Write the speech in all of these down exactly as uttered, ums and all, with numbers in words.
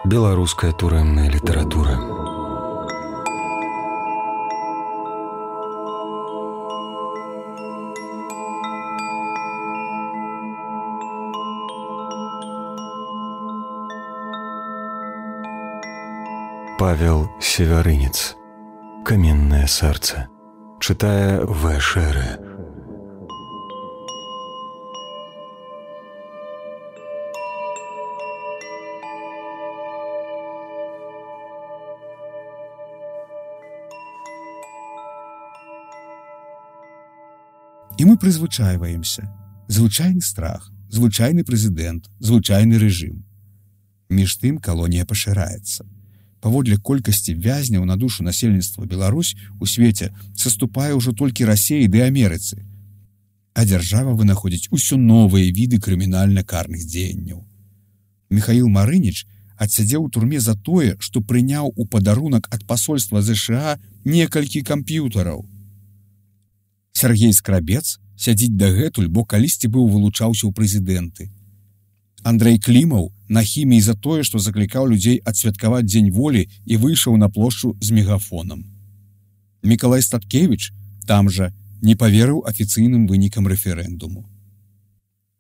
Беларуская турэмная літаратура. Павел Севярынец. «Каменное сердце». Читая В. Шеры. І мы прызвычайваемся. Звычайны страх, звычайны прэзідэнт, звычайны рэжым. Між тым калонія пашыраецца. Паводле колькасці вязняў на душу насельніцтва Беларусь у свеце саступае ўжо толькі Расіі ды Амерыцы. А дзяржава вынаходзіць усё новыя віды крымінальна-карных дзеянняў. Міхаіл Марыніч адсядзеў у турме за тое, што прыняў у падарунак ад пасольства ЗША некалькі камп'ютараў. Сергей Скрабец сядзіць дагэтуль, бо калісьці быў вылучаўся ў прэзідэнты. Андрэй Клімаў на хіміі за тое, што заклікаў людзей адсвяткаваць дзень волі і выйшаў на плошчу з мегафонам. Мікалай Статкевіч там жа не паверыў афіцыйным вынікам рэферэндуму.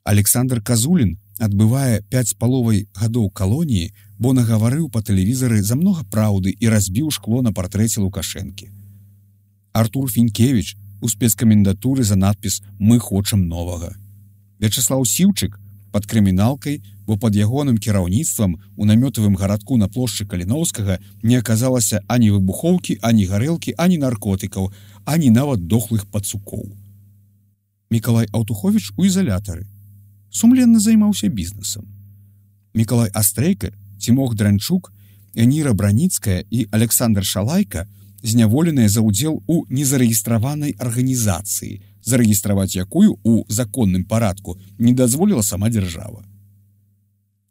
Александр Казулін адбывае пяць з паловай гадоў калоніі, бо нагаварыў па тэлевізары за многа праўды і разбіў шкло на партрэце Лукашэнкі. Артур Фінкевіч у спецкамендатуры за надпіс «Мы хочам новага». Вячаслаў Сіўчык пад крыміналкай, бо пад ягоным кіраўніцтвам у намётавым гарадку на плошчы Каліноўскага не аказалася ані выбухоўкі, ані гарэлкі, ані наркотыкаў, ані нават дохлых пацукоў. Мікалай Аўтуховіч у ізалятары. Сумленна займаўся бізнесам. Мікалай Астрейка, Цімох Дранчук, Эніра Браніцкая і Александр Шалайка зняволеныя за ўдзел у незарэгістраванай арганізацыі, зарэгістраваць якую ў законным парадку не дазволіла сама дзяржава.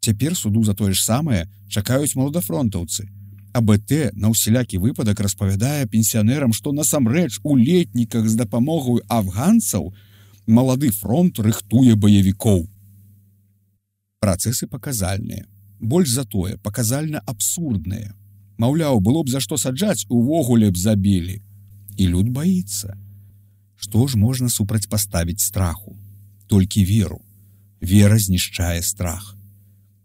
Цяпер суду за тое ж самае чакаюць маладафронтаўцы, а БТ на ўсялякі выпадак распавядае пенсіянерам, што насамрэч у летніках з дапамогаю афганцаў малады фронт рыхтуе баевікоў. Працэсы паказальныя, больш за тое паказальна абсурдныя. Маўляў, было б за што саджаць, увогуле б забілі. І люд баіцца. Што ж можна супрацьпаставіць страху? Толькі веру. Вера знішчае страх.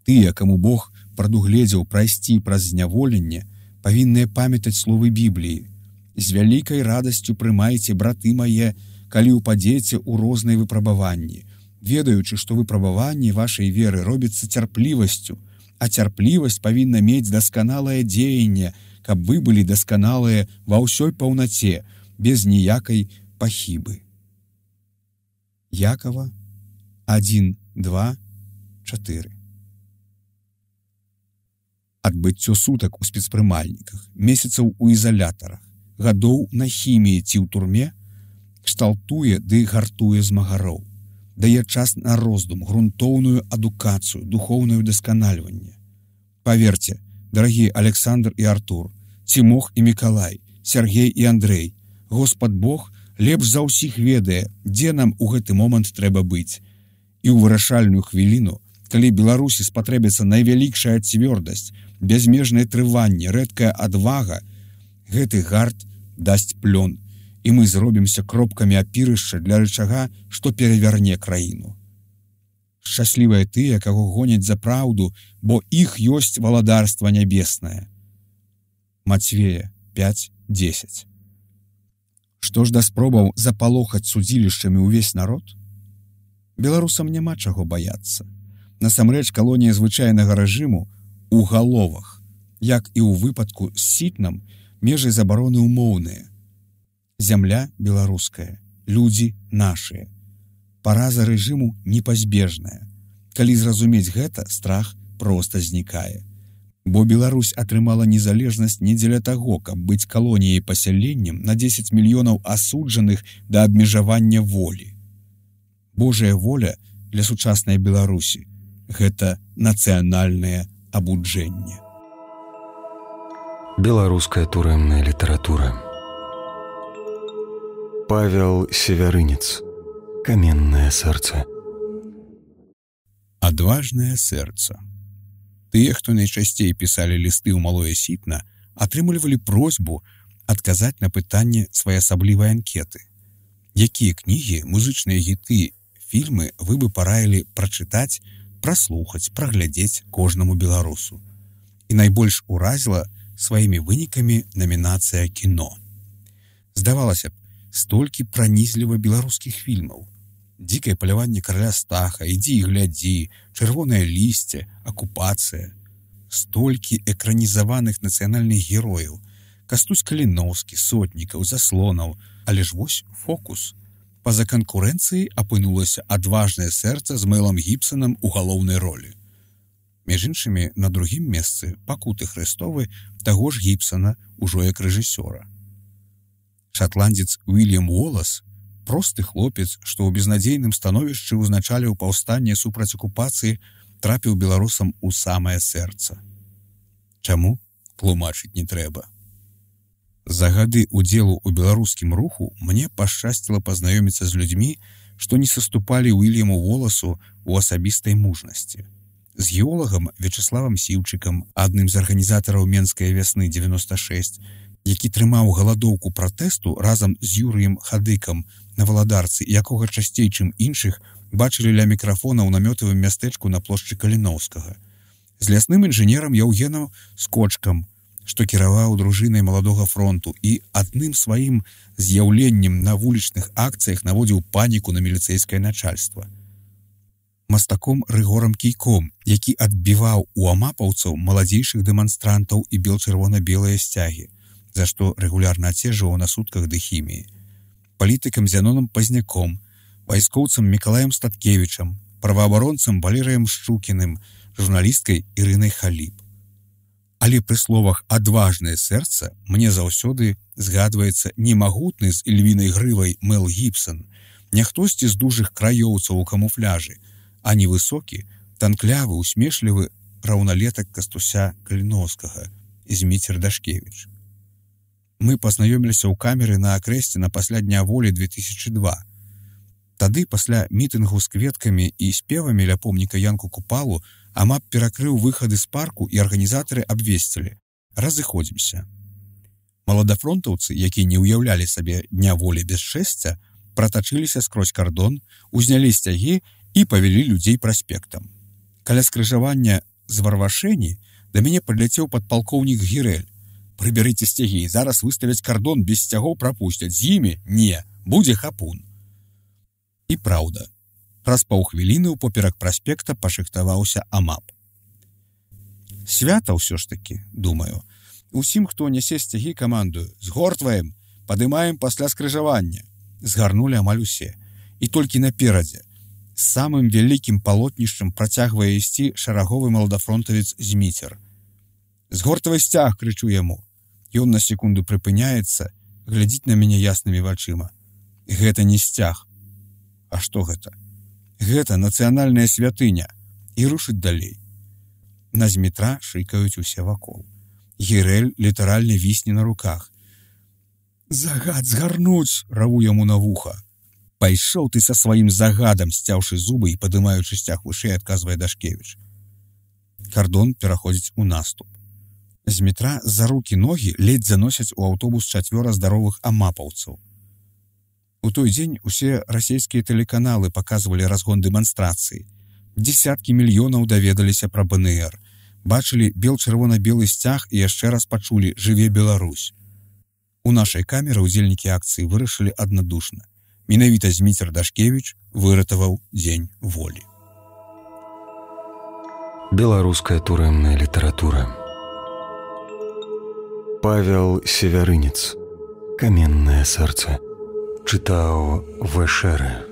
Тыя, каму Бог прадугледзеў прайсці праз зняволенне, павінныя памятаць словы Бібліі. З вялікай радасцю прымайце, браты мае, калі ўпадзеце ў розныя выпрабаванні, ведаючы, што выпрабаванне вашай веры робіцца цярплівасцю, а цярплівасць павінна мець дасканалае дзеянне, каб вы былі дасканалыя ва ўсёй паўнаце, без ніякай пахібы. Якова адзін, два, чатыры. Адбыццё сутак у спецпрымальніках, месяцаў у ізалятарах, гадоў на хіміі ці ў турме кшталтуе ды гартуе змагароў. Дае час на роздум, грунтоўную адукацыю, духоўнае дасканальванне. Паверце, дарагія Александр і Артур, Цімох і Мікалай, Сергей і Андрэй, Господ Бог лепш за ўсіх ведае, дзе нам у гэты момант трэба быць. І ў вырашальную хвіліну, калі Беларусі спатрэбіцца найвялікшая цвёрдасць, бязмежнае трыванне, рэдкая адвага, гэты гарт дасць плён, і мы зробімся кропкамі апірышча для рычага, што перавярне краіну. Шчаслівыя тыя, каго гоняць за праўду, бо іх ёсць валадарства нябеснае. Мацвея пяць дзесяць. Што ж да спробаў запалохаць судзілішчамі ўвесь народ? Беларусам няма чаго баяцца. Насамрэч калонія звычайнага рэжыму у галовах, як і ў выпадку з сітнам, межы забароны ўмоўныя. Зямля беларуская, людзі нашыя. Параза рэжыму непазбежная. Калі зразумець гэта, страх проста знікае. Бо Беларусь атрымала незалежнасць не дзеля таго, каб быць калоніяй пасяленнем на дзесяць мільёнаў асуджаных да абмежавання волі. Божая воля для сучаснай Беларусі – гэта нацыянальнае абуджэнне. Беларуская турэмная літаратура. Павел Севярынец. «Каменное сердце». Адважнае сэрца. Тыя, хто найчасцей пісалі лісты ў малое сітна, атрымлівалі просьбу адказаць на пытанне своеасаблівай анкеты. Якія кнігі, музычныя гіты, фільмы вы бы параілі прачытаць, праслухаць, праглядзець кожнаму беларусу. І найбольш уразіла сваімі вынікамі намінацыя кіно. Здавалася б, столькі пранізліва беларускіх фільмаў. «Дзікае паляванне караля Стаха», «Ідзі і глядзі», «Чырвонае лісце», «Акупацыя». Столькі экранізаваных нацыянальных герояў. Кастусь Каліноўскі, Сотнікаў, Заслонаў. Але ж вось фокус. Па-за канкурэнцыяй апынулася «Адважнае сэрца» з Мэлам Гібсанам у галоўнай ролі. Між іншымі, на другім месцы «Пакуты Хрыстовы» таго ж Гібсана, ужо як рэжысёра. Шатландзец Уільям Уолас, просты хлопец, што ў безнадзейным становішчы ўзначаліў паўстанне супраць акупацыі, трапіў беларусам у самае сэрца. Чаму? Тлумачыць не трэба. За гады удзелу ў беларускім руху мне пашчасціла пазнаёміцца з людзьмі, што не саступалі Уільяму Уоласу ў асабістай мужнасці. З геолагам Вячеславам Сіўчыкам, адным з арганізатараў Менскай вясны дзевяноста шэсць, які трымаў галадоўку пратэсту разам з Юрыем Хадыкам на Валадарцы, якога часцей, чым іншых, бачылі ля мікрафона ў намётавым мястэчку на плошчы Каліноўскага. З лясным інжынерам Яўгенам Скочкам, што кіраваў дружынай маладога фронту і адным сваім з'яўленнем на вулічных акцыях наводзіў паніку на міліцэйскае начальства. Мастаком Рыгорам Кійком, які адбіваў у амапаўцаў маладзейшых дэманстрантаў і бел-чырвона-белыя сцягі, за што рэгулярна ацежваў на сутках дыхіміі. Палітыкам Зянонам Пазняком, вайскоўцам Мікалаем Статкевічам, праваабаронцам Валерыем Шчукіным, журналісткай Ірынай Халіп. Але пры словах «адважнае сэрца» мне заўсёды згадваецца не магутны з ільвінай грывай Мэл Гібсан, не хтосьці з дужых краёўцаў у камуфляжы, а невысокі, танклявы, усмешлівы раўналетак Кастуся Каліноўскага, Зміцер Дашкевіч. Мы пазнаёміліся ў камеры на Акрэсце на пасля Дня волі две тысячы два. Тады, пасля мітынгу з кветкамі і спевамі ля помніка Янку Купалу, амап перакрыў выхады з парку і арганізатары абвесцілі: разыходзімся. Маладафронтаўцы, якія не ўяўлялі сабе Дня волі без шэсця, пратачыліся скрозь кардон, узнялі сцягі і павялі людзей праспектам. Каля скрыжавання з Варвашэні да мяне падляцеў падпалкоўнік Гірэль: «Прыбярыце сцягі, зараз выставяць кардон, без сцягоў прапусцяць, з імі не, будзе хапун». І праўда, праз паўхвіліны ўпоперак праспекта пашыхтаваўся амап. Свята ўсё ж такі, думаю. Усім, хто нясе сцягі, камандую: «Згортваем, падымаем пасля скрыжавання». Згарнулі амаль усе. І толькі наперадзе, з самым вялікім палотнішчам працягвае ісці шараговы маладафронтавец Зміцер. «Згортвай сцяг!» — крычу яму. Ён на секунду прыпыняецца, глядзіць на мяне яснымі вачыма. Гэта не сцяг. А што гэта? Гэта нацыянальная святыня. І рушыць далей. На Змітра шыкаюць усе вакол. Гірэль літаральна вісне на руках. «Загад згарнуць!» — раву яму на вуха. «Пайшоў ты са сваім загадам!» — сцяўшы зубы і падымаючы сцяг вышэй, адказвае Дашкевіч. Кардон пераходзіць у наступ. Змітра за рукі-ногі ледзь заносяць у аўтобус чацвёра здаровых амапаўцаў. У той дзень усе расійскія тэлеканалы паказвалі разгон дэманстрацыі. Дзесяткі мільёнаў даведаліся пра бэ эн эр, бачылі бел-чырвона-белы сцяг і яшчэ раз пачулі «Жыве Беларусь». У нашай камеры ўдзельнікі акцыі вырашылі аднадушна: менавіта Зміцер Дашкевіч выратаваў дзень волі. Беларуская турэмная літаратура. Павел Севярынец. «Каменнае сэрца». Чытаў Вэшэры.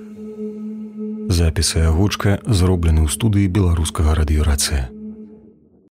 Запіс і агучка зроблены ў студыі беларускага радыёрацыя.